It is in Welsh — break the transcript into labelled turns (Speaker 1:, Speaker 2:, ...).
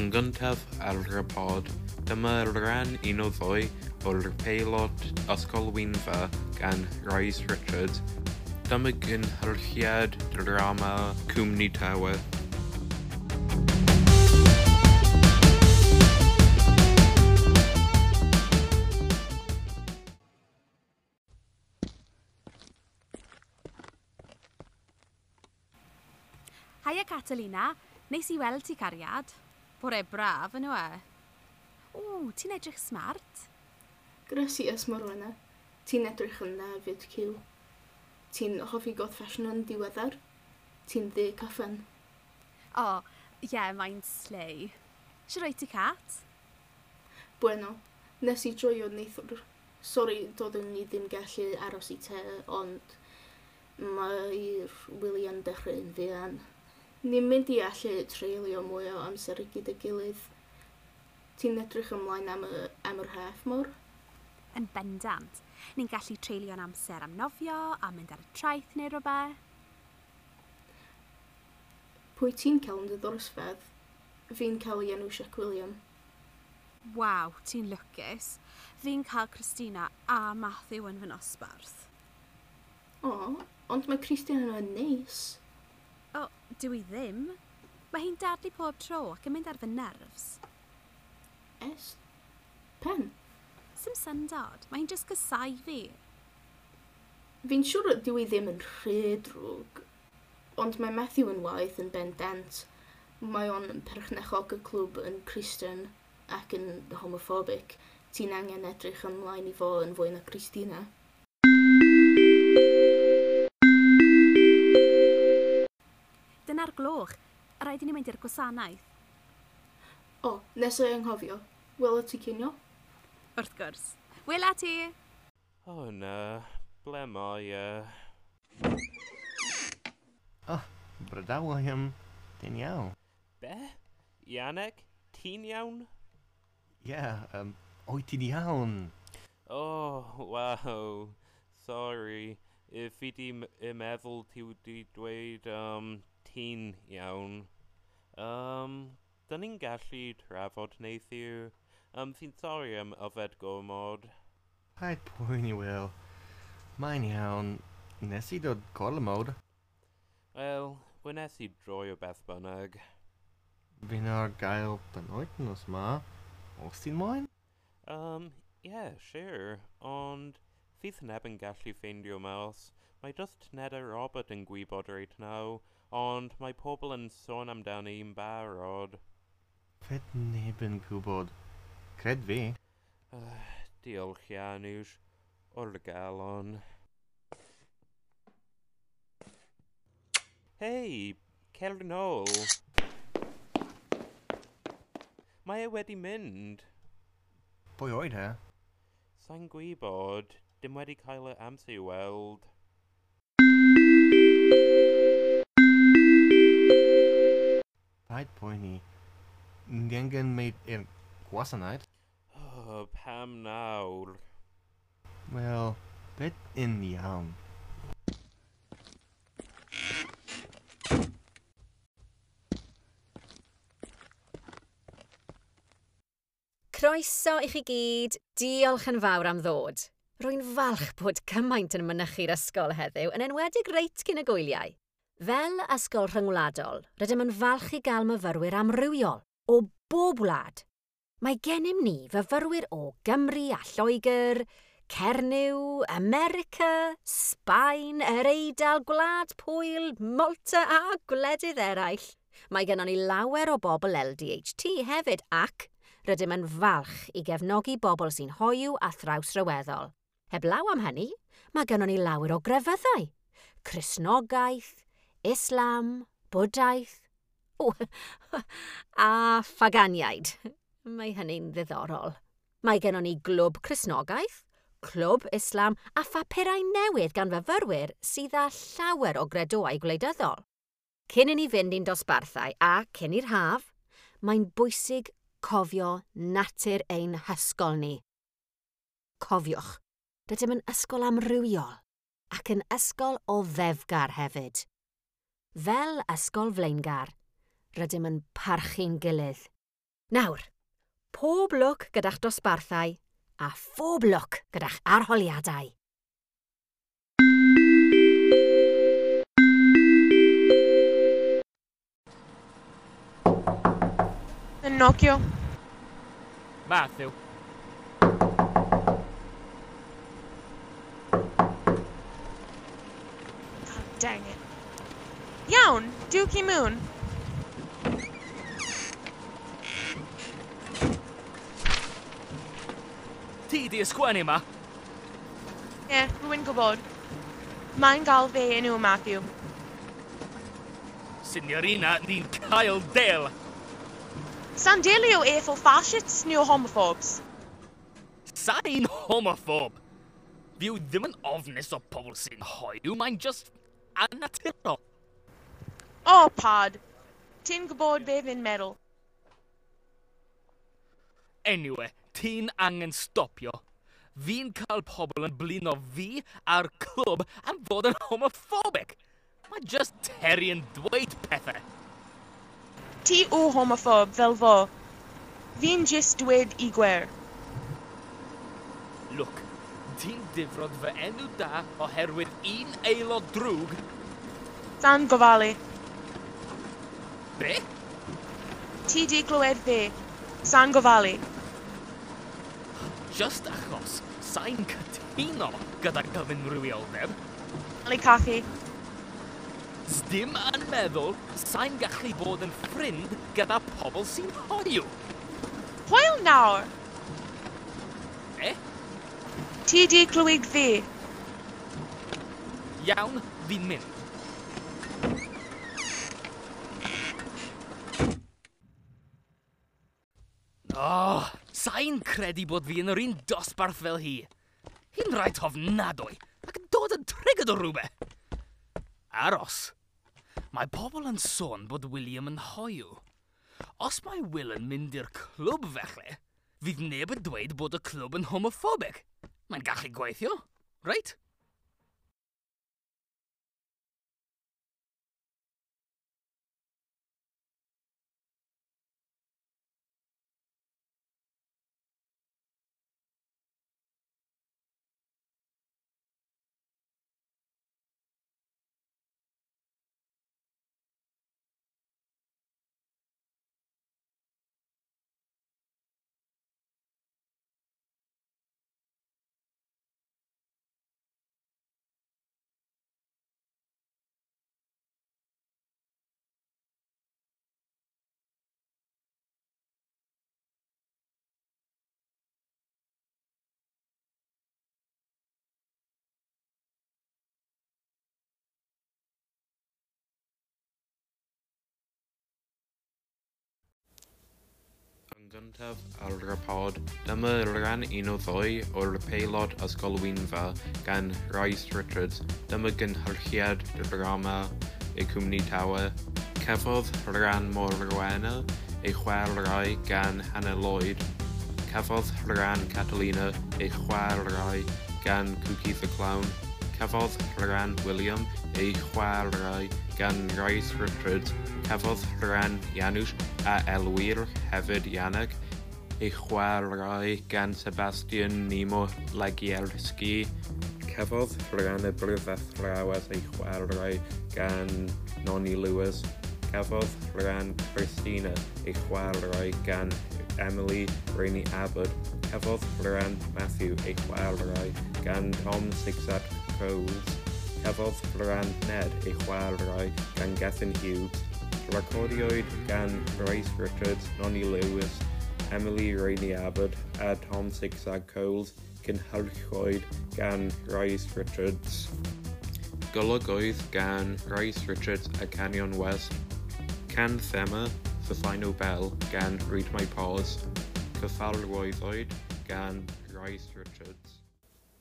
Speaker 1: Yn gyntaf ar y pod, dyma rhan un o ddwy o'r peilot Ysgol Wynfa gan Rhys Richards. Dyma gynhyrchiad drama Cwmni Tawe.
Speaker 2: Haia Catalina, neis i weld ti cariad. Bore braf yn e? O, ti'n edrych smart.
Speaker 3: Gracias, Morwenna. Ti'n edrych yn dda fyd, Cyw. Ti'n hoffi goth fashion yn diweddar? Ti'n ddu caffan.
Speaker 2: O, ie, yeah, mae'n slay. Shwt wyt ti, Cat?
Speaker 3: Bueno, nes i joio neithiwr. Sori, doeddwn ni ddim gallu aros i te, ond mae'r wyliau'n dechrau'n fuan. Ni'n mynd i allu treulio mwy o amser gyda'i gilydd. Ti'n edrych ymlaen am, y, am yr haf, mor?
Speaker 2: Yn bendant. Ni'n gallu treulio'n amser am nofio a mynd ar y traeth neu rhywbeth.
Speaker 3: Pwy ti'n cael yn dy ddosbarth? Fi'n cael ei enw Siak William.
Speaker 2: Waw, ti'n lwcus. Fi'n cael Christina a Matthew yn fy nosbarth.
Speaker 3: O, ond mae Christina yn neis.
Speaker 2: O, dwi i ddim. Mae hi'n dadlu pob tro ac yn mynd ar fy nerves.
Speaker 3: Es? Pen?
Speaker 2: Sim syndod. Mae hi'n just gysau fi.
Speaker 3: Fi'n siŵr dyw i ddim yn rhy drwg, ond mae Matthew yn waeth yn bendant. Mae o'n perchennog y clwb yn Christian ac yn homophobic. Ti'n angen edrych ymlaen i fo yn fwy na Christina.
Speaker 2: Dyna'r gloch. Rhaid i ni mynd i'r gwasanaeth.
Speaker 3: O, nes i anghofio. Wela ti cinio?
Speaker 2: Wrth gwrs. Wela ti!
Speaker 1: O na, ble mae e?
Speaker 4: Oh, Bryda William, ti'n iawn?
Speaker 1: Be? Yannick, ti'n iawn?
Speaker 4: Ie, yeah, wyt ti'n iawn?
Speaker 1: Oh, wow. Sorry. Fi di m- meddwl ti wedi dweud ti'n iawn. Dyn ni'n gallu trafod neithiwr. Fi'n sori am yfed gormod.
Speaker 4: Paid poeni, Will. Mae'n iawn. Nes i dod gormod.
Speaker 1: Wel, wnes i droi o beth bynnag.
Speaker 4: Fi'n ar gael penwythnos ma. Os ti'n moyn?
Speaker 1: Yeah, sure. Ond fydd neb yn gallu ffeindio mas. Mae just Ned a Robert yn gwybod reit nawr, ond mae pobl yn sôn amdani yn barod.
Speaker 4: Fydd neb yn gwybod. Cred fi.
Speaker 1: Diolch, Janusz. O'r galon. Hei, cer nôl. Mae e wedi mynd.
Speaker 4: Pwy oedd e?
Speaker 1: Sa'n gwybod, dim wedi cael y amser i weld.
Speaker 4: Paid poeni. Ni angen mynd i'r gwasanaeth.
Speaker 1: Oh, pam nawr?
Speaker 4: Wel, beth yn iawn?
Speaker 5: Croeso i chi gyd, diolch yn fawr am ddod. Rwy'n falch bod cymaint yn mynychu'r ysgol heddiw, yn enwedig reit cyn y gwyliau. Fel ysgol rhyngwladol, rydym yn falch i gael myfyrwyr amrywiol o bob wlad. Mae gennym ni fyfyrwyr o Gymru a Lloegr, Cernyw, America, Sbaen, yr Eidal, Gwlad Pwyl, Malta a gwledydd eraill. Mae gennon ni lawer o bobl LDHT hefyd ac rydym yn falch i gefnogi bobl sy'n hoyw a thrawsryweddol. Heblaw am hynny, mae gennon ni lawer o grefyddau. Cristnogaeth, Islam, Bwdaeth, o, a phaganiaid. Mae hynny'n ddiddorol. Mae gennon ni glwb Cristnogaeth, clwb Islam a phapurau newydd gan fyfyrwyr sydd â llawer o gredoau gwleidyddol. Cyn i ni fynd i'n dosbarthau a cyn i'r haf, mae'n bwysig cofio natur ein hysgol ni. Cofiwch, rydym yn ysgol amrywiol ac yn ysgol oddefgar hefyd. Fel ysgol flaengar, rydym yn parchu'n gilydd. Nawr, pob lwc gyda'ch dosbarthau a phob lwc gyda'ch arholiadau.
Speaker 6: Yn nocio.
Speaker 7: Matthew.
Speaker 6: God dang it. Iawn, Dewch i mewn.
Speaker 7: Ti di ysgwennu yma?
Speaker 6: Ie, yeah, rwy'n gwybod. Mae'n gael fe enw Matthew.
Speaker 7: Signorina, ni'n cael del.
Speaker 6: Sa'n delio efo fascists neu homophobes.
Speaker 7: Sa'n homophob. Fi yw ddim yn ofnus o pobl sy'n hoyw, mae'n just annaturol.
Speaker 6: O, oh, pad. Ti'n gwybod be fi'n meddwl.
Speaker 7: Anyway, ti'n angen stopio. Fi'n cael pobl yn blino fi a'r clwb am fod yn homophobic. Mae just Terry yn dweud pethau.
Speaker 6: Ti yw homophob fel fo. Fi'n just dweud i gwir.
Speaker 7: Look, ti'n difrod fy enw da oherwydd un aelod drwg.
Speaker 6: Sa'n gofalu.
Speaker 7: Be?
Speaker 6: Ti di glywed fi. Sa'n gofalu.
Speaker 7: Just achos sa'n cytuno gyda gyfunrywioldeb.
Speaker 6: Ali cachu.
Speaker 7: Sdim yn meddwl sa'n gallu bod yn ffrind gyda pobl sy'n hoyw.
Speaker 6: Hwyl nawr!
Speaker 7: E?
Speaker 6: Ti di clywed fi.
Speaker 7: Iawn, fi'n mynd. Oh, sa'n credu bod fi yn yr un dosbarth fel hi. Hi'n rhaid ofnadwy ac yn dod yn triggered o rhywbeth. Aros. Mae pobl yn sôn bod William yn hoyw. Os mae Will yn mynd i'r clwb felly, fydd neb yn dweud bod y clwb yn homophobic. Mae'n gallu gweithio, reit?
Speaker 1: Yn gyntaf ar y pod, dyma rhan un o ddwy o'r peilot Ysgol Wynfa gan Rhys Richards. Dyma gynhyrchiad drama y cwmni Tawe. Cafodd rhan Morwenna ei chwarae gan Hannah Lloyd. Cafodd rhan Catalina ei chwarae gan Cookie the Clown. Cafodd rhan William ei chwarae gan Rhys Richards. Cafodd rhan Janusz a elwir hefyd Janek ei chwarae gan Sebastian Nemo Legierski. Cafodd rhan y brifathrawes ei chwarae gan Noni Lewis. Cafodd rhan Christina ei chwarae gan Emily Rainey Abbott. Cafodd rhan Matthew ei chwarae gan Tom Zigzag Coles. Cafodd rhan Ned ei chwarae gan Gethin Hughes. Recordiwyd gan Rhys Richards, Noni Lewis, Emily Rainey Abbott a Tom Zigzag Coles, cynhyrchwyd gan Rhys Richards. Golygwyd gan Rhys Richards a Canyon West. Can thema The Final Bell gan Read My Paws. Cyfarwyddwyd gan Rhys Richards.